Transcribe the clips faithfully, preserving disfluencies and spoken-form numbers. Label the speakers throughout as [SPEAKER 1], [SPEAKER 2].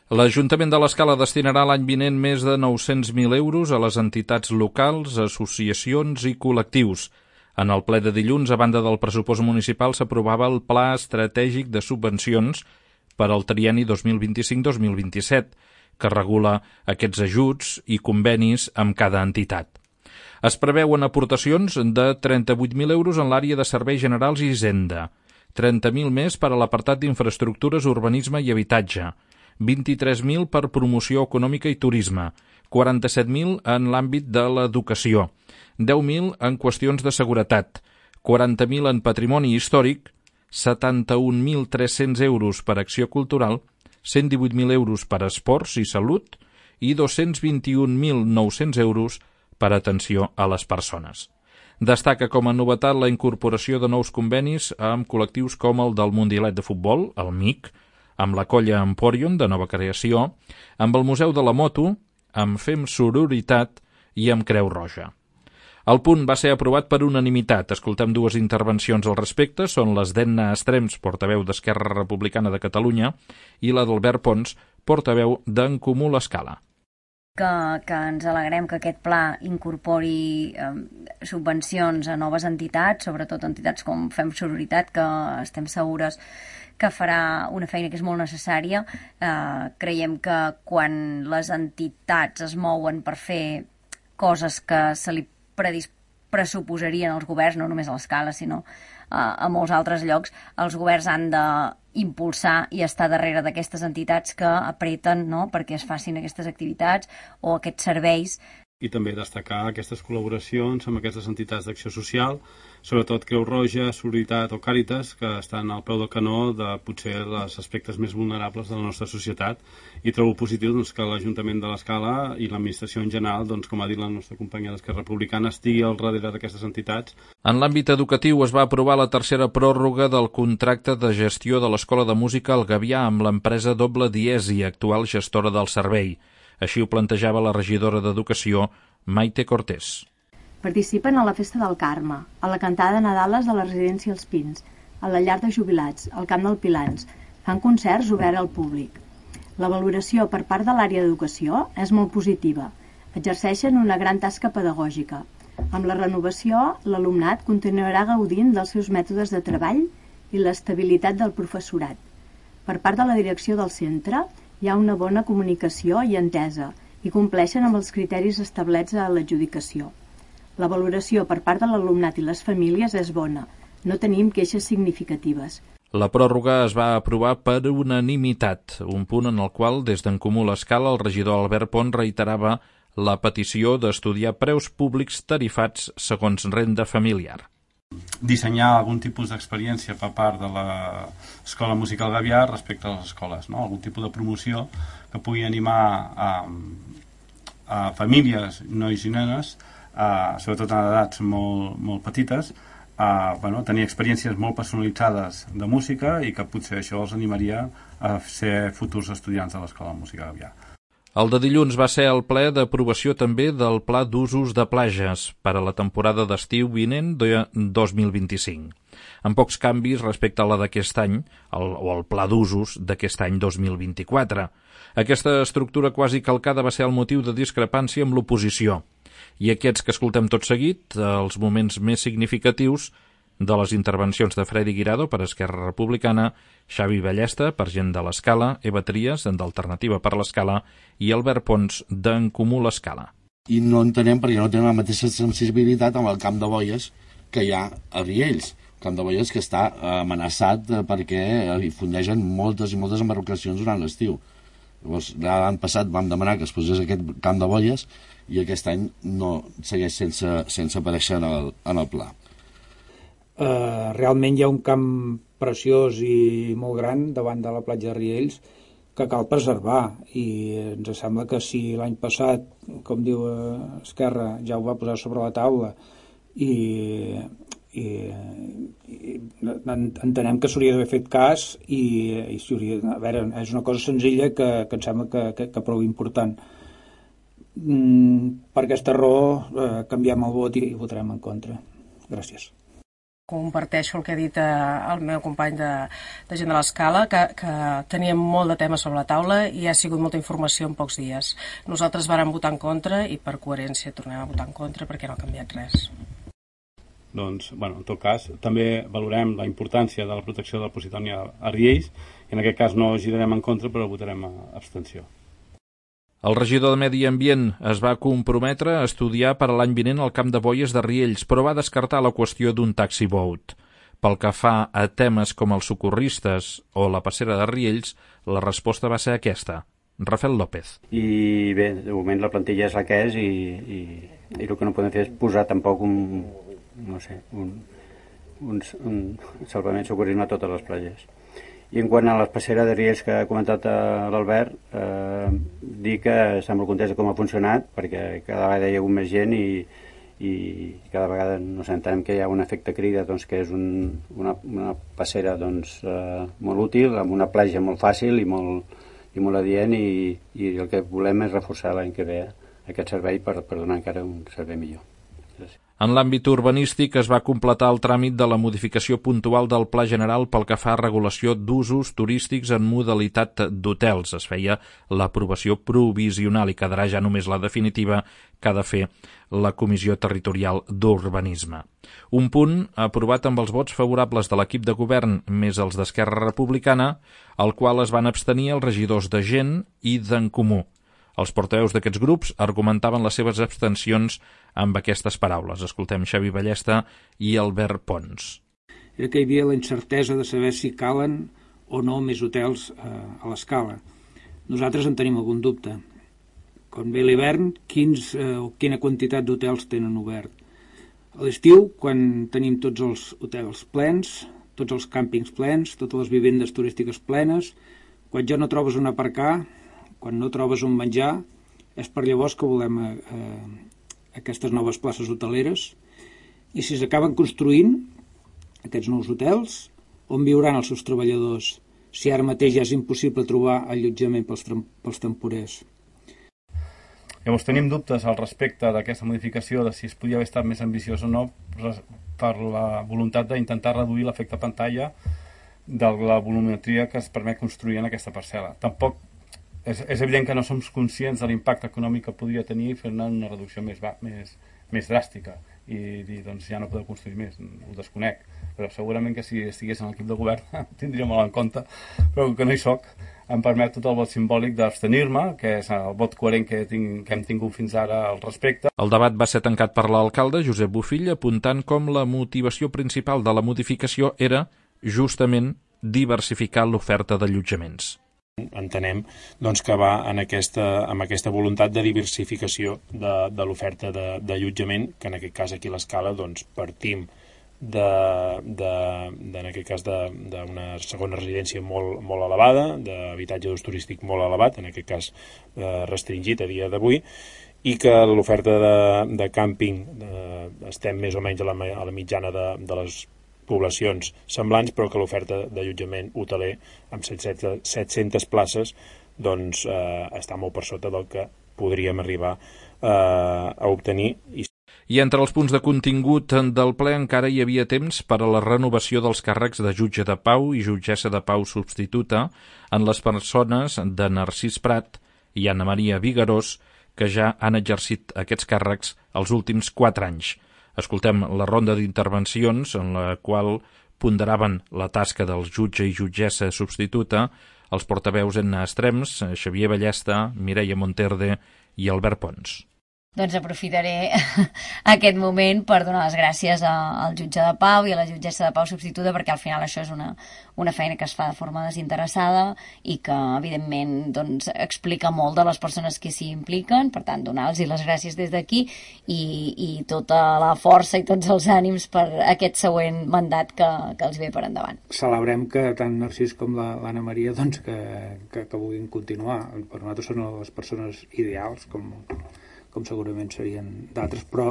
[SPEAKER 1] L'Ajuntament de l'Escala destinarà l'any vinent més de nou-cents mil euros a les entitats locals, associacions i col·lectius. En el ple de dilluns, a banda del pressupost municipal, s'aprovava el Pla Estratègic de Subvencions per al trienni dos mil vint-i-cinc dos mil vint-i-set, que regula aquests ajuts i convenis amb cada entitat. Es preveuen aportacions de trenta-vuit mil euros en l'àrea de serveis generals i hisenda, trenta mil més per a l'apartat d'infraestructures, urbanisme i habitatge, vint-i-tres mil per promoció econòmica i turisme, quaranta-set mil en l'àmbit de l'educació, deu mil en qüestions de seguretat, quaranta mil en patrimoni històric, setanta-un mil tres-cents euros per acció cultural, cent divuit mil euros per esports i salut i dos-cents vint-i-un mil nou-cents euros per atenció a les persones. Destaca com a novetat la incorporació de nous convenis amb col·lectius com el del Mundialet de Futbol, el M I C, amb la colla Emporion, de nova creació, amb el Museu de la Moto, amb Fem Sororitat i amb Creu Roja. El punt va ser aprovat per unanimitat. Escoltem dues intervencions al respecte. Són les d'Edna Estrems, portaveu d'Esquerra Republicana de Catalunya, i la d'Albert Pons, portaveu d'En Comú l'Escala.
[SPEAKER 2] Que, que ens alegrem que aquest pla incorpori eh, subvencions a noves entitats, sobretot entitats com Fem Sororitat, que estem segures que farà una feina que és molt necessària. Eh, creiem que quan les entitats es mouen per fer coses que se li predis- pressuposarien als governs, no només a l'Escala, sinó eh, a molts altres llocs, els governs han d'impulsar i estar darrere d'aquestes entitats que apreten, no?, perquè es facin aquestes activitats o aquests serveis.
[SPEAKER 3] I també destacar aquestes col·laboracions amb aquestes entitats d'acció social, sobretot Creu Roja, Solidaritat o Càritas, que estan al peu del canó de potser els aspectes més vulnerables de la nostra societat, i trobo positiu doncs, que l'Ajuntament de l'Escala i l'administració en general, doncs, com ha dit la nostra companya d'Esquerra Republicana, estigui al darrere d'aquestes entitats.
[SPEAKER 1] En l'àmbit educatiu es va aprovar la tercera pròrroga del contracte de gestió de l'Escola de Música al Gavià amb l'empresa Doble Diesi, actual gestora del servei. Així ho plantejava la regidora d'Educació, Maite Cortés.
[SPEAKER 4] Participen a la Festa del Carme, a la cantada de Nadales de la residència Els Pins, a la llar de jubilats, al Camp del Pilans. Fan concerts oberts al públic. La valoració per part de l'àrea d'educació és molt positiva. Exerceixen una gran tasca pedagògica. Amb la renovació, l'alumnat continuarà gaudint dels seus mètodes de treball i l'estabilitat del professorat. Per part de la direcció del centre, hi ha una bona comunicació i entesa i compleixen amb els criteris establerts a l'adjudicació. La valoració per part de l'alumnat i les famílies és bona. No tenim queixes significatives.
[SPEAKER 1] La pròrroga es va aprovar per unanimitat, un punt en el qual, des d'En Comú l'Escala, el regidor Albert Pont reiterava la petició d'estudiar preus públics tarifats segons renda familiar.
[SPEAKER 3] Dissenyar algun tipus d'experiència per part de l'Escola Musical Gavià respecte a les escoles, no? Algun tipus de promoció que pugui animar a, a famílies, nois i nenes, a, sobretot en edats molt, molt petites, a bueno, tenir experiències molt personalitzades de música i que potser això els animaria a ser futurs estudiants de l'Escola Musical Gavià.
[SPEAKER 1] El de dilluns va ser el ple d'aprovació també del Pla d'Usos de Plages per a la temporada d'estiu vinent de dos mil vint-i-cinc, amb pocs canvis respecte a la d'aquest any, el, o el Pla d'Usos d'aquest any dos mil vint-i-quatre. Aquesta estructura quasi calcada va ser el motiu de discrepància amb l'oposició, i aquests que escoltem tot seguit, els moments més significatius de les intervencions de Freddy Guirado per Esquerra Republicana, Xavi Ballesta per Gent de l'Escala, Eva Trias d'Alternativa per l'Escala i Albert Pons d'En Comú l'Escala.
[SPEAKER 5] I no entenem perquè no tenen la mateixa sensibilitat amb el camp de boies que hi ha a Riells. El camp de boies que està amenaçat perquè hi fundegen moltes i moltes embarcacions durant l'estiu. Llavors, l'any passat vam demanar que es posés aquest camp de boies i aquest any no segueix sense, sense aparèixer en el, en el pla.
[SPEAKER 6] Uh, realment hi ha un camp preciós i molt gran davant de la platja de Riells que cal preservar i ens sembla que si l'any passat, com diu Esquerra, ja ho va posar sobre la taula i, i, i entenem que s'hauria d'haver fet cas i, i s'hauria, a veure, és una cosa senzilla que, que em sembla que, que, que prou important. Mm, per aquesta raó eh, canviem el vot i, i votarem en contra. Gràcies.
[SPEAKER 7] Comparteixo el que ha dit el meu company de, de gent de l'Escala, que, que teníem molt de temes sobre la taula i ha sigut molta informació en pocs dies. Nosaltres vàrem votar en contra i per coherència tornem a votar en contra perquè no ha canviat res.
[SPEAKER 3] Doncs, bueno, en tot cas, també valorem la importància de la protecció de la Positònia a Riells i en aquest cas no girarem en contra però votarem a abstenció.
[SPEAKER 1] El regidor de Medi Ambient es va comprometre a estudiar per a l'any vinent el camp de boies de Riells, però va descartar la qüestió d'un taxi boat. Pel que fa a temes com els socorristes o la passera de Riells, la resposta va ser aquesta. Rafael López.
[SPEAKER 8] I bé, de moment la plantilla és la que és i, i, i el que no podem fer és posar tampoc un, no sé, un, un, un salvament socorrisme a totes les platges. I en quant a la passera de Riells que ha comentat l'Albert, eh, dir que estem molt contents de com ha funcionat, perquè cada vegada hi ha hagut més gent i, i cada vegada no entenem que hi ha un efecte crida, doncs, que és un, una, una passera doncs, eh, molt útil, amb una platja molt fàcil i molt, i molt adient, i, i el que volem és reforçar l'any que ve aquest servei per, per donar encara un servei millor. Gràcies.
[SPEAKER 1] En l'àmbit urbanístic es va completar el tràmit de la modificació puntual del Pla General pel que fa a regulació d'usos turístics en modalitat d'hotels. Es feia l'aprovació provisional i quedarà ja només la definitiva que ha de fer la Comissió Territorial d'Urbanisme. Un punt aprovat amb els vots favorables de l'equip de govern més els d'Esquerra Republicana, al qual es van abstenir els regidors de Gent i d'en Comú. Els portaveus d'aquests grups argumentaven les seves abstencions amb aquestes paraules. Escoltem Xavi Ballesta i Albert Pons.
[SPEAKER 6] Era que hi havia la incertesa de saber si calen o no més hotels eh, a l'Escala. Nosaltres en tenim algun dubte. Quan ve l'hivern, quins eh, o quina quantitat d'hotels tenen obert? A l'estiu, quan tenim tots els hotels plens, tots els càmpings plens, totes les vivendes turístiques plenes, quan ja no trobes on aparcar, quan no trobes on menjar, és per llavors que volem eh, aquestes noves places hoteleres. I si s'acaben construint aquests nous hotels, on viuran els seus treballadors si ara mateix ja és impossible trobar allotjament pels, pels temporers?
[SPEAKER 3] Llavors tenim dubtes al respecte d'aquesta modificació, de si es podia haver estat més ambiciós o no, per la voluntat d'intentar reduir l'efecte pantalla de la volumetria que es permet construir en aquesta parcel·la. Tampoc És, és evident que no som conscients de l'impacte econòmic que podria tenir fer-ne una reducció més, més, més dràstica i dir, doncs ja no podeu construir més, ho desconec, però segurament que si estigués en l'equip de govern tindria molt en compte, però que no hi soc, em permet tot el vot simbòlic d'abstenir-me, que és el vot coherent que, tinc, que hem tingut fins ara al respecte.
[SPEAKER 1] El debat va ser tancat per l'alcalde Josep Bofill, apuntant com la motivació principal de la modificació era justament diversificar l'oferta d'allotjaments.
[SPEAKER 9] Entenem doncs, que va en aquesta, amb aquesta voluntat de diversificació de, de l'oferta d'allotjament, que en aquest cas aquí a l'Escala doncs, partim de, de, de, en aquest cas d'una segona residència molt, molt elevada, d'habitatge d'ús turístic molt elevat, en aquest cas eh, restringit a dia d'avui, i que l'oferta de, de càmping eh, estem més o menys a la, a la mitjana de, de les poblacions semblants, però que l'oferta d'allotjament hoteler amb set-centes places doncs, eh, està molt per sota del que podríem arribar eh, a obtenir. I...
[SPEAKER 1] I entre els punts de contingut del ple encara hi havia temps per a la renovació dels càrrecs de jutge de pau i jutgessa de pau substituta en les persones de Narcís Prat i Anna Maria Vigarós, que ja han exercit aquests càrrecs els últims quatre anys. Escoltem la ronda d'intervencions en la qual ponderaven la tasca del jutge i jutgessa substituta els portaveus en extrems, Xavier Ballesta, Mireia Monterde i Albert Pons.
[SPEAKER 2] Doncs aprofitaré aquest moment per donar les gràcies al jutge de pau i a la jutgessa de pau substituta, perquè al final això és una, una feina que es fa de forma desinteressada i que evidentment doncs, explica molt de les persones que s'hi impliquen. Per tant, donar-los les gràcies des d'aquí i, i tota la força i tots els ànims per aquest següent mandat que, que els ve per endavant.
[SPEAKER 6] Celebrem que tant Narcís com l'Anna Maria doncs, que, que, que vulguin continuar. Per nosaltres són les persones ideals, com com segurament serien d'altres, però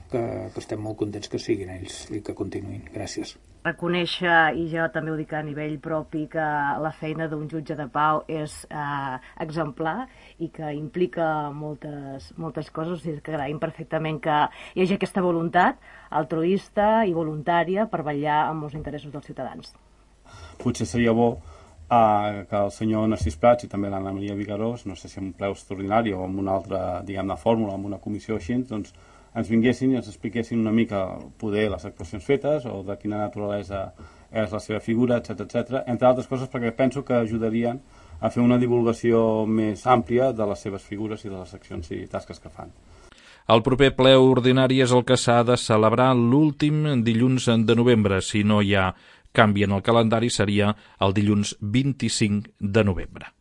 [SPEAKER 6] que, que estem molt contents que siguin ells i que continuïn. Gràcies.
[SPEAKER 10] reconèixer, i jo també ho dic a nivell propi, que la feina d'un jutge de pau és eh, exemplar i que implica moltes, moltes coses, o sigui que agraïm perfectament que hi hagi aquesta voluntat altruista i voluntària per vetllar amb els interessos dels ciutadans.
[SPEAKER 3] Potser seria bo eh, que el senyor Narcís Prats i també l'Anna Maria Vigarós, no sé si en un ple extraordinari o en una altra, diguem-ne, fórmula, en una comissió així, doncs ens vinguessin i ens expliquessin una mica poder les actuacions fetes o de quina naturalesa és la seva figura, etcètera, etcètera, entre altres coses perquè penso que ajudarien a fer una divulgació més àmplia de les seves figures i de les accions i tasques que fan.
[SPEAKER 1] El proper ple ordinari és el que s'ha de celebrar l'últim dilluns de novembre. Si no hi ha canvi en el calendari, seria el dilluns vint-i-cinc de novembre.